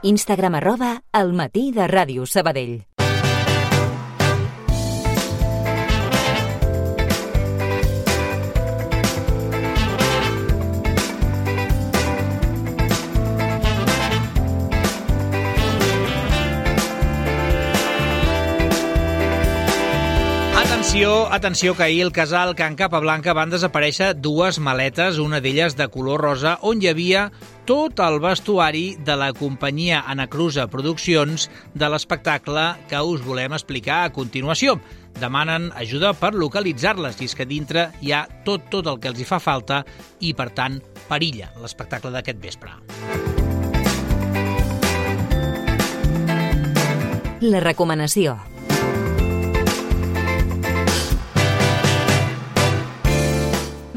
Instagram @elmatí_de_Ràdio Sabadell. Atenció, que ahir el casal Can Capablanca van desaparèixer dues maletes, una d'elles de color rosa, on hi havia tot el vestuari de la companyia Anacruza Produccions de l'espectacle que us volem explicar a continuació. Demanen ajuda per localitzar-les, i és que dintre hi ha tot el que els hi fa falta i, per tant, perilla l'espectacle d'aquest vespre. La recomanació.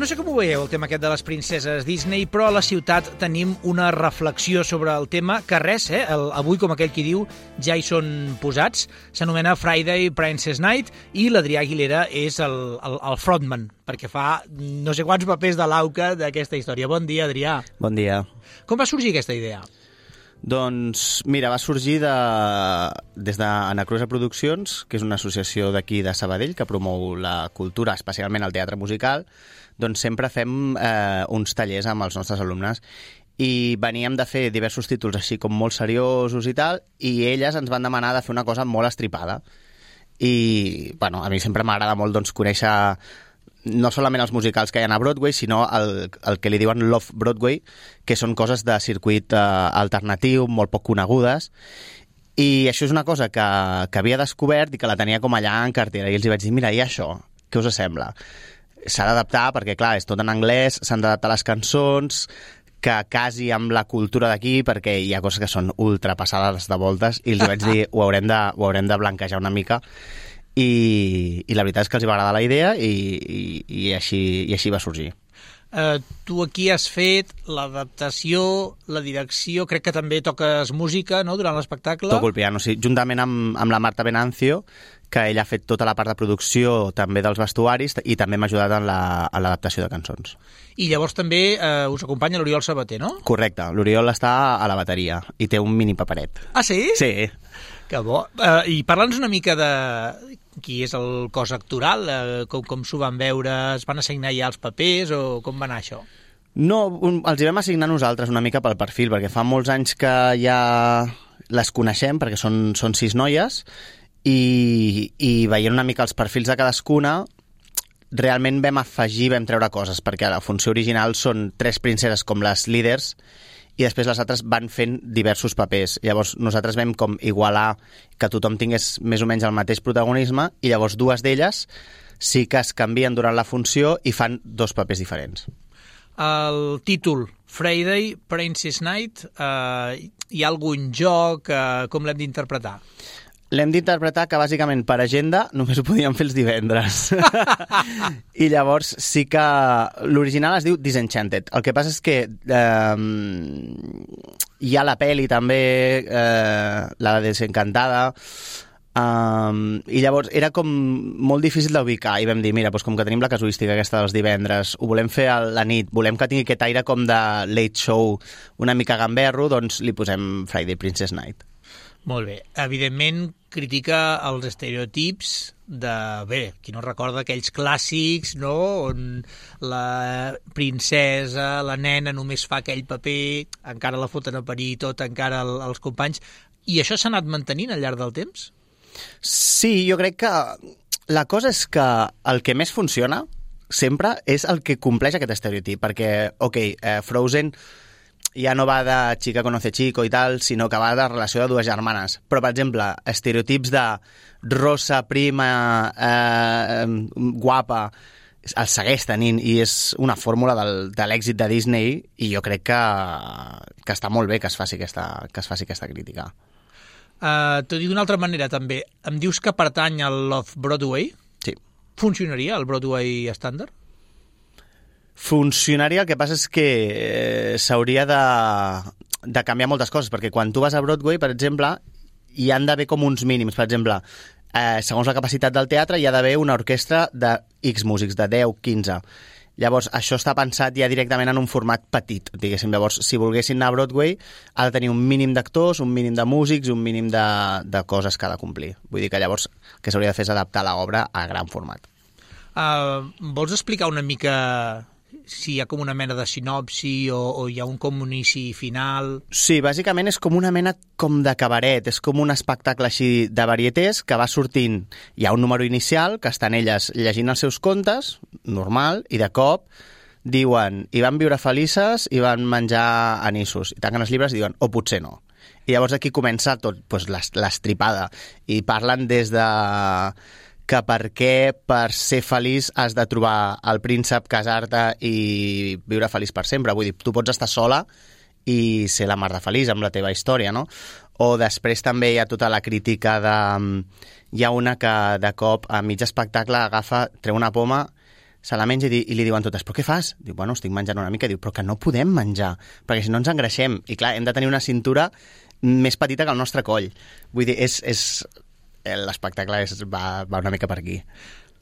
No sé com ho veieu, el tema aquest de les princeses Disney, però a la ciutat tenim una reflexió sobre el tema que res, avui, com aquell qui diu, ja hi són posats. S'anomena Friday Princess Night i l'Adrià Aguilera és el frontman, perquè fa no sé quants papers de l'auca d'aquesta història. Bon dia, Adrià. Bon dia. Com va sorgir aquesta idea? Doncs, mira, va sorgir des d'Anacruza Produccions, que és una associació d'aquí de Sabadell que promou la cultura, especialment el teatre musical. Doncs sempre fem uns tallers amb els nostres alumnes i veníem de fer diversos títols així com molt seriosos i tal, i elles ens van demanar de fer una cosa molt estripada. I, bueno, a mi sempre m'agrada molt conèixer no solament els musicals que hi ha a Broadway, sinó el que li diuen Love Broadway, que són coses de circuit alternatiu, molt poc conegudes. I això és una cosa que havia descobert i que la tenia com allà en cartera. I els vaig dir, mira, i això, què us sembla? S'ha d'adaptar perquè, clar, és tot en anglès, s'han d'adaptar les cançons, que casi amb la cultura d'aquí, perquè hi ha coses que són ultrapassades de voltes, i els vaig dir, ho haurem de blanquejar una mica, i la veritat és que els va agradar la idea i així va sorgir. Tu aquí has fet l'adaptació, la direcció, crec que també toques música, no?, durant l'espectacle. Toco el piano, sí, juntament amb la Marta Venancio, que ella ha fet tota la part de producció també dels vestuaris i també m'ha ajudat en l'adaptació de cançons. I llavors també us acompanya l'Oriol Sabater, no? Correcte, l'Oriol està a la bateria i té un mini paperet. Ah, sí? Sí. Que bo. I parla'ns una mica de qui és el cos actoral, com s'ho van veure, es van assignar ja els papers o com va anar això? No, els hi vam assignar nosaltres una mica pel perfil, perquè fa molts anys que ja les coneixem, perquè són 6 noies, i veient una mica els perfils de cadascuna, realment vam treure coses, perquè a la funció original són 3 princeses com les líders i després les altres van fent diversos papers. Llavors nosaltres vam com igualar que tothom tingués més o menys el mateix protagonisme, i llavors 2 d'elles sí que es canvien durant la funció i fan 2 papers diferents. El títol, Friday Princess Night, hi ha algun joc? Com l'hem d'interpretar? L'hem d'interpretar que, bàsicament, per agenda només ho podíem fer els divendres. I llavors sí que l'original es diu Disenchanted. El que passa és que hi ha la peli també, la Desencantada, i llavors era com molt difícil d'ubicar i vam dir, mira, doncs com que tenim la casuística aquesta dels divendres, ho volem fer a la nit, volem que tingui aquest aire com de late show una mica gamberro, doncs li posem Friday Princess Night. Molt bé. Evidentment, critica els estereotips de, qui no recorda aquells clàssics, no?, on la princesa, la nena, només fa aquell paper, encara la foten a parir tot, encara els companys. I això s'ha anat mantenint al llarg del temps? Sí, jo crec que la cosa és que el que més funciona sempre és el que compleix aquest estereotip, perquè, Frozen ja no va de chica conoce chico i tal, sinó que va de relació de 2 germanes. Però, per exemple, estereotips de rosa, prima, guapa, el segueix tenint, i és una fórmula de l'èxit de Disney, i jo crec que està molt bé que es faci aquesta crítica. T'ho dic d'una altra manera, també. Em dius que pertany al Love Broadway? Sí. Funcionaria el Broadway estàndard? Funcionaria, el que passa és que s'hauria de canviar moltes coses, perquè quan tu vas a Broadway, per exemple, hi han d'haver com uns mínims. Per exemple, segons la capacitat del teatre, hi ha d'haver una orquestra de X músics, de 10, 15. Llavors, això està pensat ja directament en un format petit, diguéssim. Llavors, si volguessin anar a Broadway, ha de tenir un mínim d'actors, un mínim de músics, un mínim de coses que ha de complir. Vull dir que llavors el que s'hauria de fer és adaptar l'obra a gran format. Vols explicar una mica si hi ha com una mena de sinopsi o hi ha un comunici final? Sí, bàsicament és com una mena com de cabaret, és com un espectacle així de varietés que va sortint. Hi ha un número inicial que estan elles llegint els seus contes, normal, i de cop diuen i van viure felices i van menjar anissos. I tanquen els llibres i diuen, o potser no. I llavors aquí comença tot doncs, l'estripada. I parlen des de que per què per ser feliç has de trobar el príncep, casar-te i viure feliç per sempre. Vull dir, tu pots estar sola i ser la mar de feliç amb la teva història, no? O després també hi ha tota la crítica de... Hi ha una que de cop a mig espectacle agafa, treu una poma, se la menja i li diuen totes, però què fas? Diu, bueno, estic menjant una mica. Diu, però que no podem menjar, perquè si no ens engreixem. I clar, hem de tenir una cintura més petita que el nostre coll. Vull dir, l'espectacle va una mica per aquí.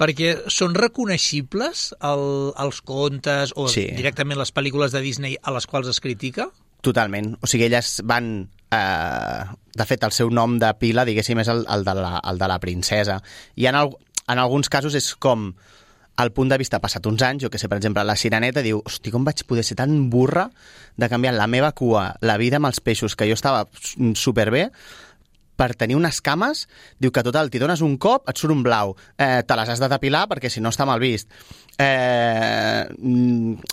Perquè són reconeixibles els contes o directament les pel·lícules de Disney a les quals es critica? Totalment. O sigui, elles van... de fet, el seu nom de pila, diguéssim, és el de la princesa. I en alguns casos és com al punt de vista passat uns anys, jo que sé, per exemple, la Sireneta diu, hosti, com vaig poder ser tan burra de canviar la meva cua, la vida amb els peixos, que jo estava superbé, per tenir unes cames, diu que total, t'hi dones un cop, et surt un blau, te les has de depilar perquè si no està mal vist.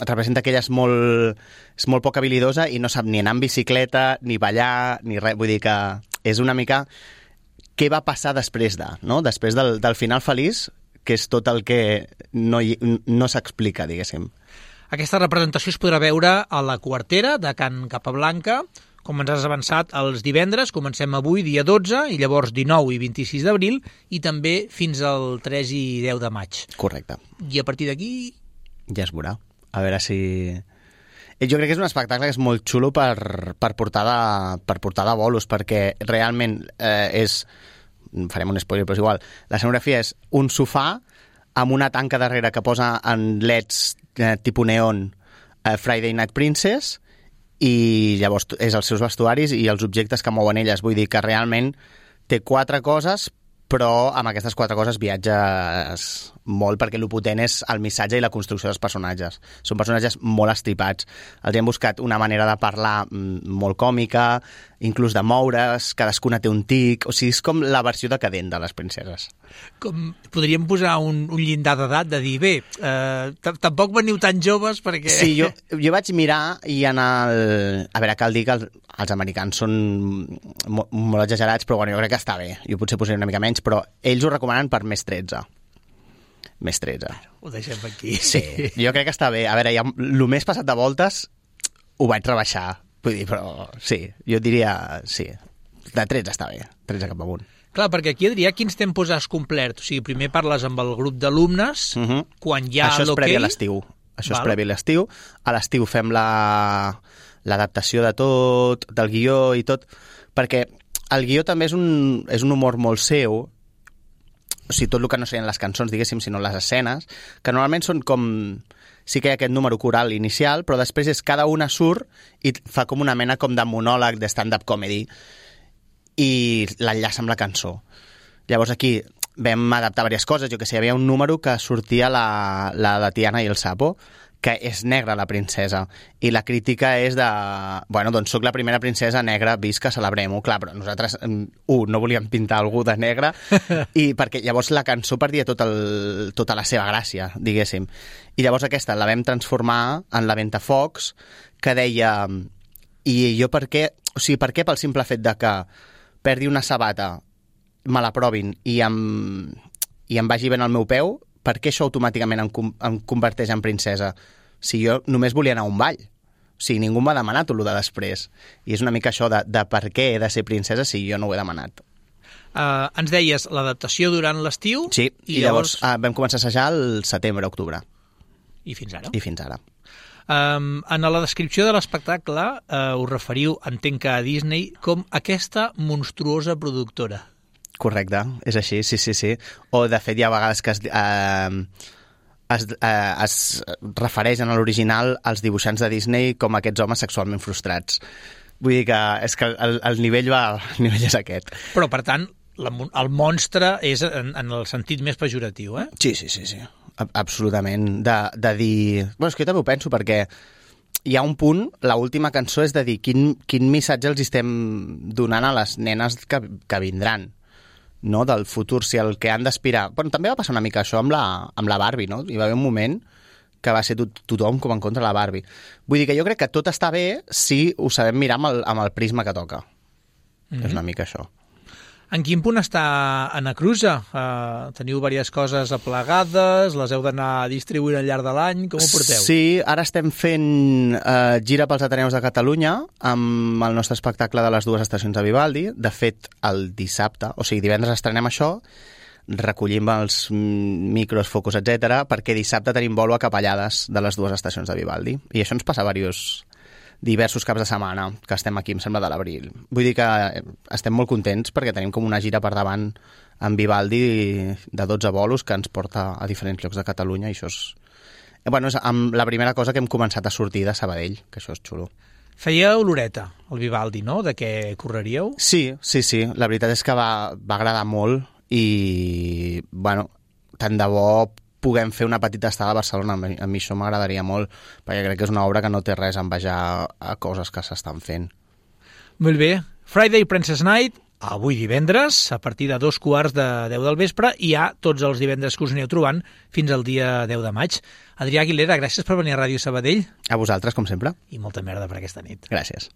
Representa que ella és molt poc habilidosa i no sap ni anar en bicicleta, ni ballar, ni res. Vull dir que és una mica què va passar després no? Després del final feliç, que és tot el que no s'explica, diguéssim. Aquesta representació es podrà veure a la Quartera de Can Capablanca, com ens has avançat, els divendres, comencem avui, dia 12, i llavors 19 i 26 d'abril, i també fins al 3 i 10 de maig. Correcte. I a partir d'aquí... Ja es veurà. A veure si... Jo crec que és un espectacle que és molt xulo per portar de bolos, perquè realment és... Farem un spoiler, però és igual. La escenografia és un sofà amb una tanca darrere que posa en leds tipus neon Friday Night Princess, i llavors és els seus vestuaris i els objectes que mouen elles. Vull dir que realment té 4 coses, però amb aquestes 4 coses viatges molt, perquè el potent és el missatge i la construcció dels personatges. Són personatges molt estripats. Els hem buscat una manera de parlar molt còmica, inclús de moure's, cadascuna té un tic, o sigui, és com la versió decadent de les princeses. Podríem posar un llindar d'edat de dir, bé, tampoc veniu tan joves perquè... Sí, jo vaig mirar i a veure, cal dir que els americans són molt exagerats, però bueno, jo crec que està bé. Jo potser posaré una mica menys, però ells ho recomanen per més 13. Més 13. Ho deixem aquí. Sí, jo crec que està bé. A veure, el més passat de voltes ho vaig rebaixar. Vull dir, però sí, jo diria, sí, de 13 està bé, 13 cap amunt. Clar, perquè aquí, Adrià, quins tempos has complert? O sigui, primer parles amb el grup d'alumnes, quan hi ha l'hoquei... Això és previ a l'estiu. Això és previ a l'estiu. A l'estiu fem l'adaptació de tot, del guió i tot, perquè el guió també és un humor molt seu, o sigui, tot el que no serien les cançons, diguéssim, sinó les escenes, que normalment són com... Sí que hi ha aquest número coral inicial, però després és cada una surt i fa com una mena com de monòleg de stand-up comedy i l'enllaça amb la cançó. Llavors aquí vam adaptar diverses coses. Jo que sé, hi havia un número que sortia la de Tiana i el Sapo, que és negra, la princesa, i la crítica és de... Bueno, doncs soc la primera princesa negra, visca, celebrem-ho. Clar, però nosaltres, no volíem pintar algú de negre, i perquè llavors la cançó perdia tota la seva gràcia, diguéssim. I llavors aquesta la vam transformar en la Ventafocs, que deia... I jo per què? O sigui, per què pel simple fet de que perdi una sabata, me la provin i em vagi ben al meu peu, per què això automàticament em converteix en princesa? Si jo només volia anar a un ball. O sigui, ningú m'ha demanat el de després. I és una mica això de per què he de ser princesa si jo no ho he demanat. Ens deies l'adaptació durant l'estiu? Sí, i llavors vam començar a assajar el setembre-octubre. I fins ara? I fins ara. En la descripció de l'espectacle us referiu, entenc que a Disney, com aquesta monstruosa productora. Correcte, és així, sí. O, de fet, hi ha vegades que es refereix en l'original als dibuixants de Disney com aquests homes sexualment frustrats. Vull dir que el nivell és aquest. Però, per tant, el monstre és en el sentit més pejoratiu, eh? Sí. Absolutament. De dir... Bueno, és que jo també ho penso, perquè hi ha un punt, l'última cançó és de dir quin missatge els estem donant a les nenes que vindran, no? Del futur, si el que han d'aspirar... Bueno, també va passar una mica això amb la Barbie, no? Hi va haver un moment que va ser tothom com en contra de la Barbie. Vull dir que jo crec que tot està bé si ho sabem mirar amb el prisma que toca. És una mica això. En quin punt està Anacruza? Teniu diverses coses aplegades, les heu d'anar distribuint al llarg de l'any, com ho porteu? Sí, ara estem fent gira pels Ateneus de Catalunya amb el nostre espectacle de les 2 estacions de Vivaldi. De fet, el dissabte, o sigui, divendres estrenem això, recollim els micros, focus, etc, perquè dissabte tenim bolo a Capellades de les 2 estacions de Vivaldi. I això ens passa diversos caps de setmana que estem aquí, em sembla, de l'abril. Vull dir que estem molt contents perquè tenim com una gira per davant amb Vivaldi de 12 bolos que ens porta a diferents llocs de Catalunya i això és... Bueno, és la primera cosa que hem començat a sortir de Sabadell, que això és xulo. Fèieu l'horeta, el Vivaldi, no?, de què correríeu? Sí. La veritat és que va agradar molt i, bueno, tant de bo puguem fer una petita estada a Barcelona. A mi això m'agradaria molt, perquè crec que és una obra que no té res a envejar a coses que s'estan fent. Molt bé. Friday Princess Night, avui divendres, a partir de 2:15 del vespre, i hi ha tots els divendres que us aneu trobant fins al dia 10 de maig. Adrià Aguilera, gràcies per venir a Ràdio Sabadell. A vosaltres, com sempre. I molta merda per aquesta nit. Gràcies.